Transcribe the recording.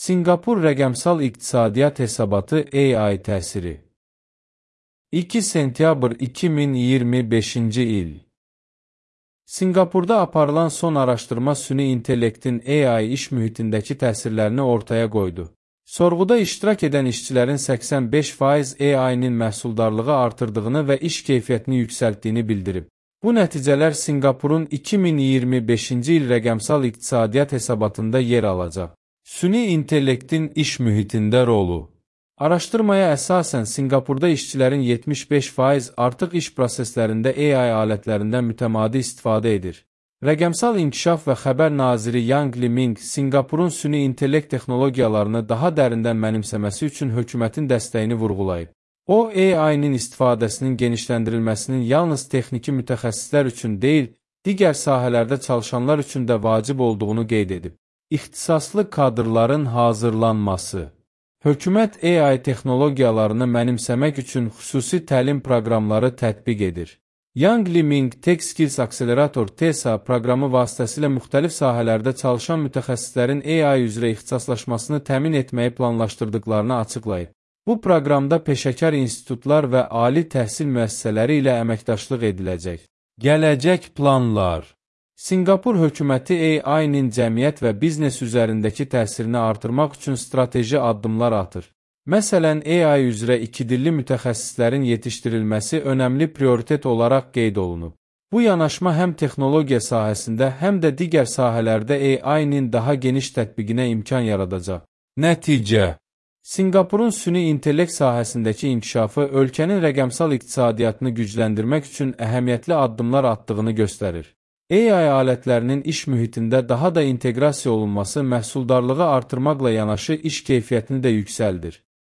Sinqapur rəqəmsal iqtisadiyyat hesabatı AI təsiri. 2 sentyabr 2025-ci il. Sinqapurda aparılan son araşdırma süni intellektin AI iş mühitindəki təsirlərini ortaya qoydu. Sorğuda iştirak edən işçilərin 85% AI-nin məhsuldarlığı artırdığını və iş keyfiyyətini yüksəltdiyini bildirib. Bu nəticələr Sinqapurun 2025-ci il rəqəmsal iqtisadiyyat hesabatında yer alacaq. Süni intellektin iş mühitində rolu. Araşdırmaya əsasən Sinqapurda işçilərin 75% artıq iş proseslərində AI alətlərindən mütəmadi istifadə edir. Rəqəmsal İnkişaf və Xəbər naziri Yang Liming Sinqapurun süni intellekt texnologiyalarını daha dərindən mənimsəməsi üçün hökumətin dəstəyini vurğulayıb. O, AI-nin istifadəsinin genişləndirilməsinin yalnız texniki mütəxəssislər üçün deyil, digər sahələrdə çalışanlar üçün də vacib olduğunu qeyd edib. İxtisaslı kadrların hazırlanması. Hökumət AI texnologiyalarını mənimsəmək üçün xüsusi təlim proqramları tətbiq edir. Yang Liming Tech Skills Accelerator TESA proqramı vasitəsilə müxtəlif sahələrdə çalışan mütəxəssislərin AI üzrə ixtisaslaşmasını təmin etməyi planlaşdırdıqlarını açıqlayıb. Bu proqramda peşəkar institutlar və ali təhsil müəssisələri ilə əməkdaşlıq ediləcək. Gələcək planlar. Sinqapur hökuməti AI-nin cəmiyyət və biznes üzərindəki təsirini artırmaq üçün strateji addımlar atır. Məsələn, AI üzrə ikidilli mütəxəssislərin yetişdirilməsi önəmli prioritet olaraq qeyd olunub. Bu yanaşma həm texnologiya sahəsində, həm də digər sahələrdə AI-nin daha geniş tətbiqinə imkan yaradacaq. Nəticə. Sinqapurun süni intellekt sahəsindəki inkişafı ölkənin rəqəmsal iqtisadiyyatını gücləndirmək üçün əhəmiyyətli addımlar atdığını göstərir. AI alətlərinin iş mühitində daha da inteqrasiya olunması məhsuldarlığı artırmaqla yanaşı iş keyfiyyətini də yüksəldir.